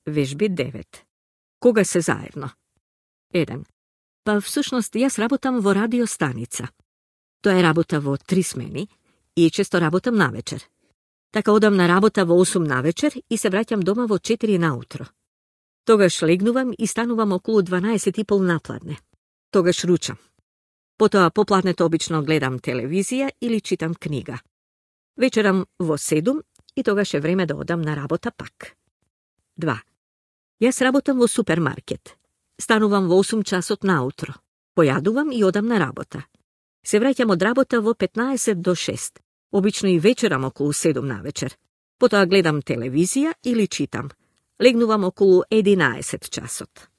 Вежби 9. Кога се заедно? 1. Па всушност јас работам во радиостаница. Тоа е работа во 3 смени и често работам навечер. Така одам на работа во 8 навечер и се враќам дома во 4 наутро. Тогаш легнувам и станувам околу 12:30 напладне. Тогаш ручам. Потоа попладнето обично гледам телевизија или читам книга. Вечерам во 7 и тогаш е време да одам на работа пак. 2. Јас работам во супермаркет. Станувам во 8 часот наутро. Појадувам и одам на работа. Се враќам од работа во 15 до 6. Обично и вечерам околу 7 навечер. Потоа гледам телевизија или читам. Легнувам околу 11 часот.